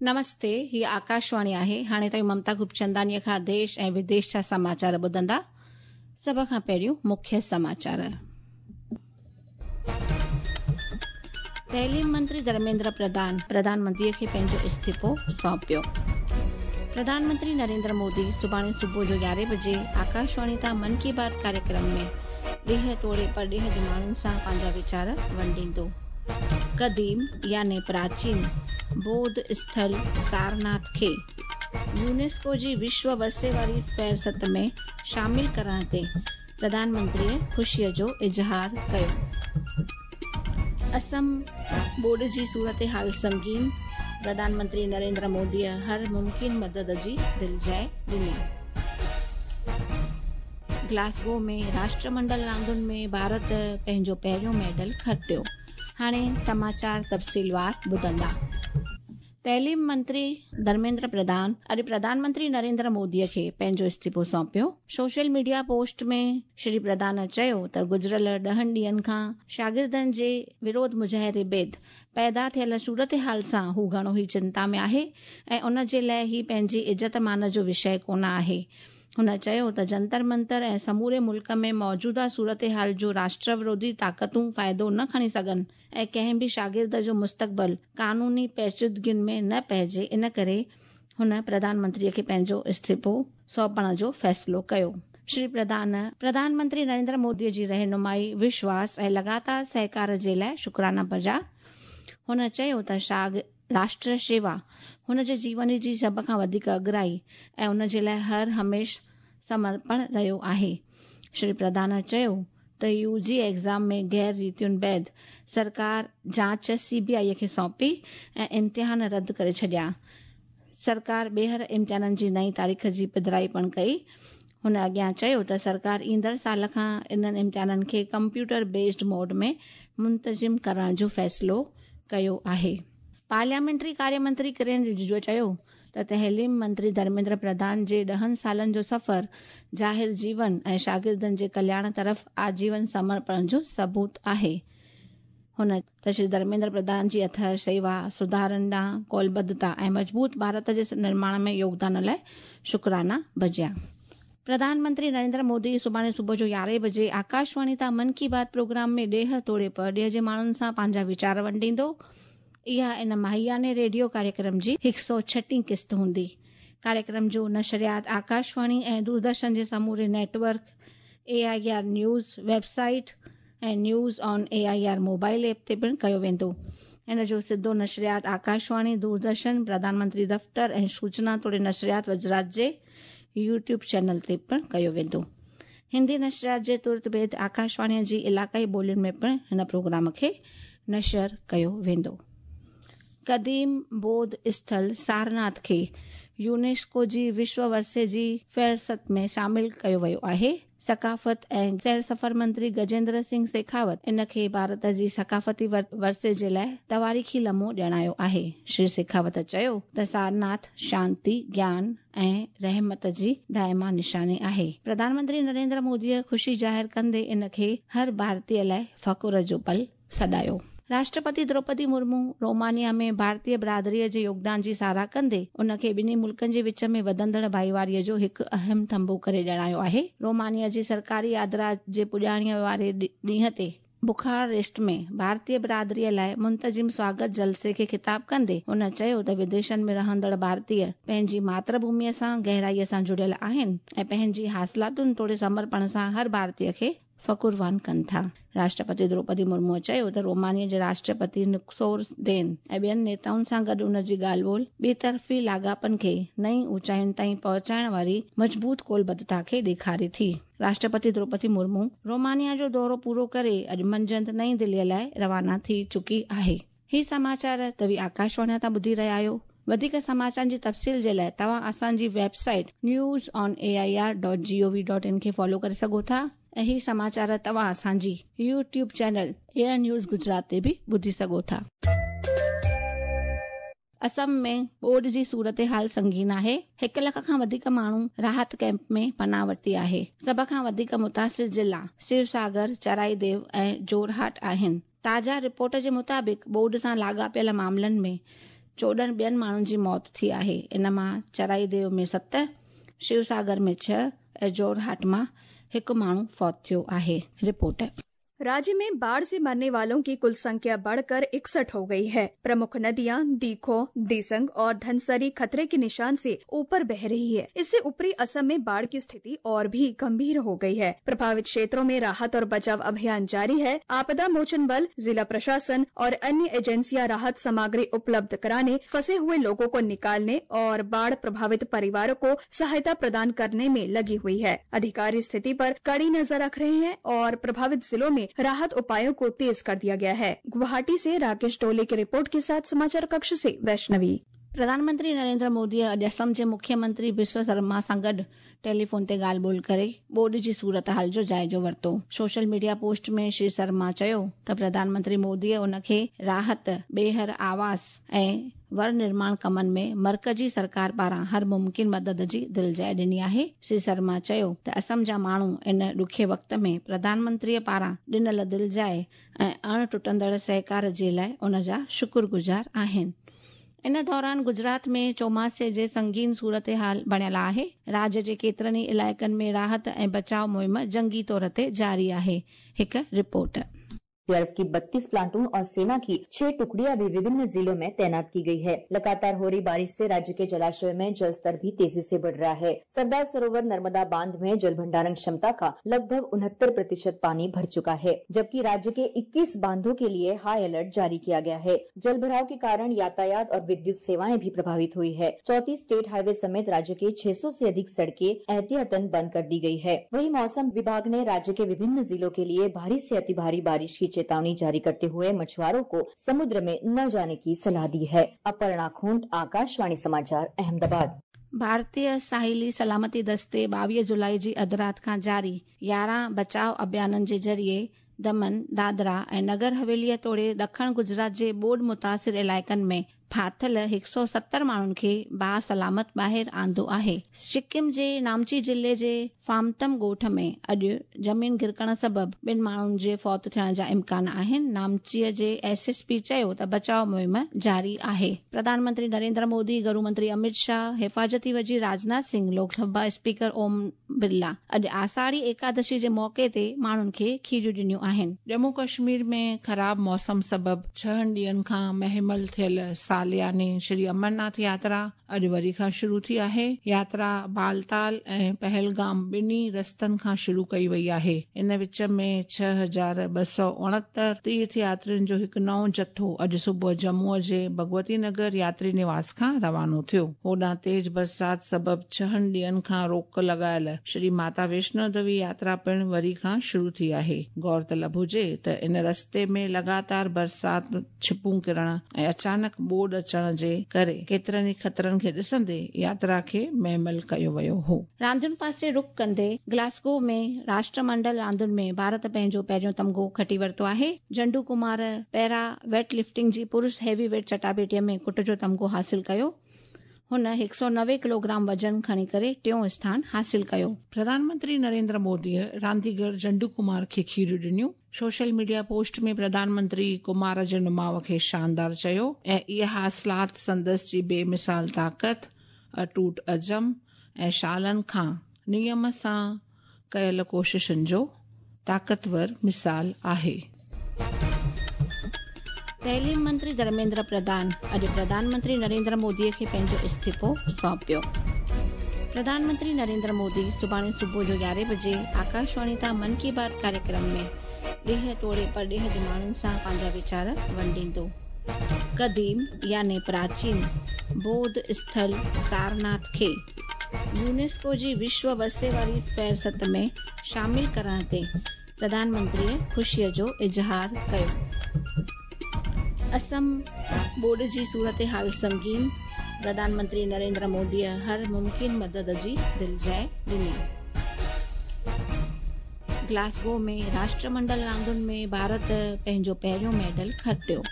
نمستي، هي آڪاشواڻي آهي. هاڻي توهين ممتا خوبچنداڻيء کان ديش ۽ وديش جا سماچار ٻڌندا. سڀ کان پهريون مکيه سماچار. تعليم منتري ڌرميندر پرڌان پرڌان منتريء کي پنهنجو استعيفو سونپيو. پرڌان منتري نريندر مودي سڀاڻي صبح جو يارهين بجي آڪاشواڻي تان من ڪي بات ڪاريڪرم ۾ ڏيهه توڙي پرڏيهه جي ماڻهن سان پنهنجا ويچار ونڊيندو. قديم يعني پراچين بوڌ اسٿل سارناٿ کي يونيسڪو جي وشو ورثي واري فهرست ۾ شامل ڪرڻ تي پرڌان منتريء خوشيء جو اظهار ڪيو. اسم ٻوڏ جي صورتحال سنگين، پرڌان منتري نريندر موديء هر ممڪن مدد جي دلجاء ڏني. گلاسگو ۾ راشٽر منڊل راندن ۾ ڀارت پنهنجو پهريون ميڊل کٽيو. هاڻي سماچار تفصيلوار ٻڌندا. تعليم منتري ڌرميندر پرڌان اڄ پرڌان منتري نريندر مودي کي پنهنجو استعيفو سونپيو. سوشل ميڊيا پوسٽ ۾ شري پرڌان چيو ته گذريل ڏهن ڏينهن کان شاگردن جي وروڌ مظاهري بعد پيدا ٿيل صورتحال سان هو گهڻو ئي چنتا ۾ آهي ۽ ان جي لاء هي پنهنجي عزت مان جو وشيه ڪونه آهي. هن چيو ته جنتر منتر ۽ سموري ملڪ ۾ موجوده صورتحال جو راشٽر وروڌي طاقتون فائدو نه کڻي سگهن ۽ ڪنهن به شاگرد جو مستقبل قانوني پيچيدگين ۾ نه پئجي ان ڪري هن پرڌان منتري کي پنهنجو استعيفو سونپڻ جو فيصلو ڪيو. شري پرڌان پرڌان منتري نريندر مودي جي رهنمائي، وشواس ۽ لڳاتار سهڪار جي لاء شڪرانا بجا. هن چيو ته شاگ. راشٽر شيوا هن جي جيون جي سڀ کان وڌيڪ اڳرائي ۽ ان جي لاء هر هميشھ سمرپڻ رهيو آهي. شري پرڌان چيو ته يو جي ايگزام ۾ غير ريتين بعد سرڪار جاچ سي بي آء کي سونپي ۽ امتحان رد ڪري ڇڏيا. سرڪار ٻيهر امتحانن جي نئين تاريخ جي پڌرائي پڻ ڪئي. هن اڳيان چيو ته سرڪار ايندڙ سال کان انهن امتحانن کي ڪمپيوٽر بيسڊ موڊ ۾ منتظم ڪرڻ جو فيصلو ڪيو آهي. پارليامينٽري ڪاري منتري ڪرين رجيجو چيو ته تعليم منتري ڌرميندر پرڌان جي ڏهن سالن جو سفر ظاهر جيون ۽ شاگردن جي ڪلياڻ طرف آجيون سمرپڻ جو ثبوت آهي. هن ته شري ڌرميندر پرڌان جي اٿهه شيوا، سڌارن ڏانهن قولبڌتا ۽ مضبوط ڀارت جي نرماڻ ۾ يوگدان لاء شڪرانا بجيا. پرڌان منتري نريندر مودي سڀاڻي صبح جو يارهين بجي آڪاشواڻي تان من ڪي بات پروگرام ۾ ڏيهه توڙي پرڏيهه جي ماڻهن سان پنهنجا ويچار ونڊيندو. اها ان ماهياني ريڊيو ڪاريڪرم جي هڪ سئو ڇٽين قسط هوندي. ڪاريڪرم جو نشريات آڪاشواڻي ۽ دوردرشن جي سموري network, A I R news website ۽ news on A I R mobile app تي پڻ ڪيو ويندو. ان جو سڌو نشريات آڪاشواڻي، دوردرشن، پرڌان منتري دفتر ۽ سوچنا توڙي نشريات وزارت جي يوٽيوب چينل تي پڻ ڪيو ويندو. هندي نشريات جي ترت بعد آڪاشواڻي جي علاقائي ٻولين ۾ پڻ هن پروگرام کي نشر ڪيو ويندو. قديم بوڌ اسٿل سارناٿ کي يونيسڪو جي وشو ورثي جي فهرست ۾ شامل ڪيو ويو آهي. ثقافت ۽ سير سفر منتري گجيندر سنگهه شيخاوت ان کي ڀارت جي ثقافتي ورثي جي لاء تواريخي لمحو ڄاڻايو آهي. شري شيخاوت چيو ته سارناٿ شانتي، گيان ۽ رحمت جي دائما نشاني آهي. پرڌان منتري نريندر موديء خوشي ظاهر ڪندي ان کي هر ڀارتي لاء فخر جو پل سڏايو. راشٽرپتي دروپدي مرمو رومانيا ۾ ڀارتي برادري جي يوگدان جي ساراهه ڪندي ان کي ٻنهي ملڪن جي وچ ۾ وڌندڙ ڀائيواري جو هڪ اهم ٿنڀو ڪري ڄاڻايو آهي. رومانيا جي سرڪاري يادرا جي پڄاڻيء واري ڏينهن تي بخاريسٽ ۾ ڀارتي برادري لاء منتظم سواگت جلسي کي خطاب ڪندي هن چيو ته وديشن ۾ رهندڙ ڀارتي پنهنجي ماتر ڀوميء سان گهرائيء سان جڙيل آهن ۽ پنهنجي حاصلاتن توڙي سمرپڻ سان هر ڀارتي کي فخروان ڪن ٿا. راشٽرپتي دروپدي مرموء چيو ته رومانيا جي راشٽرپتي نڪسور دين ۽ ٻين نيتائن سان گڏ ان جي ڳالهه ٻولهه ٻطرفي لاڳاپن کي نئين اوچائين تائين پهچائڻ واري مضبوط قولبڌتا کي ڏيکاري ٿي. راشٽرپتي دروپدي مرمو رومانيا جو دورو پورو ڪري اڄ منجهند نئين دهليء لاء روانا ٿي چڪي آهي. هي سماچار توهين آڪاشواڻي تان ٻڌي رهيا آهيو. وڌيڪ سماچارن جي تفصيل جي لاء توهان اسان جي website news on A I R dot G O V dot in کي فالو ڪري سگهو ٿا ۽ هي سماچار توهان اسان جي YouTube channel A I news Gujarat تي به ٻڌي سگهو ٿا. اسم ۾ ٻوڏ جي صورتحال سنگين آهي، هڪ لک کان وڌيڪ ماڻهو راحت ڪئمپ ۾ پناهه ورتي آهي، سڀ کان وڌيڪ متاثر ضلعا سيوساگر، چرائيديو ۽ جورهاٽ آهن. تازا رپورٽ جي مطابق ٻوڏ سان لاڳاپيل معاملن ۾ 14 ٻين ماڻهن جي موت ٿي آهي. ان مان چرائيديو ۾ 7، شوساگر ۾ 6 ۽ جورهاٽ مان هڪ ماڻهو فوت ٿيو آهي. رپورٽ. राज्य में बाढ़ से मरने वालों की कुल संख्या बढ़कर 61 हो गई है। प्रमुख नदियां दीखो, दिसंग और धनसरी खतरे के निशान से ऊपर बह रही है। इससे ऊपरी असम में बाढ़ की स्थिति और भी गंभीर हो गई है। प्रभावित क्षेत्रों में राहत और बचाव अभियान जारी है। आपदा मोचन बल, जिला प्रशासन और अन्य एजेंसियां राहत सामग्री उपलब्ध कराने, फंसे हुए लोगों को निकालने और बाढ़ प्रभावित परिवारों को सहायता प्रदान करने में लगी हुई है। अधिकारी स्थिति पर कड़ी नजर रख रहे हैं और प्रभावित जिलों में राहत उपायों को तेज कर दिया गया है। गुवाहाटी से राकेश डोले की रिपोर्ट के साथ समाचार कक्ष से वैष्णवी। प्रधानमंत्री नरेंद्र मोदी अॼु असम जे मुख्यमंत्री बिस्व शर्मा सां गॾु टेलीफोन ते ॻाल्हि ॿोल करे ॿोॾ जी सूरत हाल जो जाइज़ो वरितो। सोशल मीडिया पोस्ट में श्री शर्मा चयो त प्रधानमंत्री मोदीअ उनखे राहत, ॿीहर आवास ऐं वर निर्माण कमनि में मर्कजी सरकार पारां हर मुमकिन मदद जी दिलजाइ ॾिनी आहे। श्री शर्मा चयो त असम जा माण्हू इन ॾुखे वक़्त में प्रधानमंत्रीअ पारां ॾिनल दिलजाइ ऐं अण टुटंदड़ सहकार जे लाइ उन जा शुक्रगुज़ार आहिनि। इन दौरान गुजरात में चौमासे जे संगीन सूरत हाल बणियल आहे। राज्य जे केतिरनि ई इलाइक़नि में राहत ऐं बचाव मुहिम जंगी तौर ते जारी आहे। हिकु रिपोर्ट। एसडीआरएफ की 32 प्लाटून और सेना की 6 टुकड़ियां भी विभिन्न जिलों में तैनात की गई है। लगातार हो रही बारिश से राज्य के जलाशय में जल स्तर भी तेजी से बढ़ रहा है। सरदार सरोवर नर्मदा बांध में जल भंडारण क्षमता का लगभग 69% पानी भर चुका है, जबकि राज्य के 21 बांधों के लिए हाई अलर्ट जारी किया गया है। जल भराव के कारण यातायात और विद्युत सेवाएं भी प्रभावित हुई है। 34 स्टेट हाईवे समेत राज्य के 600 से अधिक सड़कें एहतियातन बंद कर दी गई है। वहीं मौसम विभाग ने राज्य के विभिन्न जिलों के लिए भारी से अति भारी बारिश की चेतावनी जारी करते हुए मछुआरों को समुद्र में न जाने की सलाह दी है। अपर्णा खूंट, आकाशवाणी समाचार, अहमदाबाद। भारतीय साहिली सलामती दस्ते 22 जुलाई जी अधु राति खां जारी 11 बचाव अभियाननि जे ज़रिए दमन, दादरा ऐं नगर हवेलीअ तोड़े ॾखण गुजरात जे ॿोॾ मुतासिर इलाइक़नि में फाथिल 170 माण्हुनि खे बासलामत ॿाहिरि आंदो आहे। सिक्किम जे नामची ज़िले जे फामतम ॻोठ में अॼु ज़मीन गिरकण सबबु ॿिनि माण्हुनि जे फौत थियण जा इम्कान आहिनि। नामचीअ जे एसएसपी चयो त बचाव मुहिम जारी आहे। प्रधानमंत्री नरेंद्र मोदी, गृह मंत्री अमित शाह, हिफाज़ती वज़ीर राजनाथ सिंह, लोकसभा स्पीकर ओम बिरला अॼु आषाढ़ी एकादशी जे मौक़े ते माण्हुनि खे खीरियूं ॾिनियूं आहिनि। जम्मू कश्मीर में ख़राब मौसम सबबु 6 ॾींहनि खां महिमल थियल सालियानी श्री अमरनाथ यात्रा अॼु वरी खां शुरू थी आहे। यात्रा बालताल ऐं पहलगाम ॿिन्ही रस्तनि खां शुरू कई वई आहे। इन विच में 6269 तीर्थ यात्रियुनि जो हिकु नओं जथो अॼु सुबुह जम्मूअ जे भगवती नगर यात्री निवास खां रवानो थियो। होॾां तेज़ बरसाति सबबु 6 ॾींहनि खां रोक लॻायल श्री माता वैष्णो देवी यात्रा पिणु वरी खां शुरू थी आहे। गौरतलब हुजे त इन रस्ते में लगातार बरसाति, छिपूं किरण ऐं अचानक ॿोॾ अचण जे करे केतिरनि ई ख़तरनि खे ॾिसंदे यात्रा खे महमल कयो वियो हो। रांदियुनि पासे रुख कंदे ग्लासगो में राष्ट्रमंडल रांदियुनि में भारत पंहिंजो पहिरियों तमगो खटी वरितो आहे। जंडू कुमार पैरा वेट लिफ्टिंग जी पुरुष हेवी वेट चटाबेटीअ में कुट जो तमगो हासिल कयो। हुन 190 किलोग्राम वज़न खणी करे टियों स्थान हासिल कयो। प्रधानमंत्री नरेंद्र मोदीअ रांदीगर जंडू कुमार खे खीरियूं ॾिनियूं। सोशल मीडिया पोस्ट में प्रधानमंत्री कुमार जे नुमाव खे शानदार चयो ऐं इहा हासिलात संदसि जी बेमिसाल ताक़त, अटूट अज़म ऐं सालनि खां नियम सां कयल कोशिशनि जो ताक़तवर मिसाल आहे। तइलीम मंत्री धर्मेंद्र प्रधान अॼु प्रधानमंत्री नरेंद्र मोदीअ खे पंहिंजो इस्तीफ़ो सौंपियो। प्रधानमंत्री नरेंद्र मोदी सुभाणे सुबुह जो 11 बजे आकाशवाणी तां मन की बात कार्यक्रम में ॾेह तोड़े परॾेह जे माण्हुनि सां पंहिंजा वीचार वंडींदो। क़दीम यानी प्राचीन बौद्ध स्थल सारनाथ खे यूनेस्को जी विश्व वर्से वारी फ़हरिस्त में शामिल करण ते प्रधानमंत्रीअ ख़ुशीअ जो इज़हार कयो। असम ॿोॾ जी सूरत हाल संगीन, प्रधानमंत्री नरेंद्र मोदीअ हर मुमकिन मदद जी दिलजाइ ॾिनी। ग्लासगो में राष्ट्रमंडल रांदियुनि में भारत पंहिंजो पहिरियों मेडल खटियो।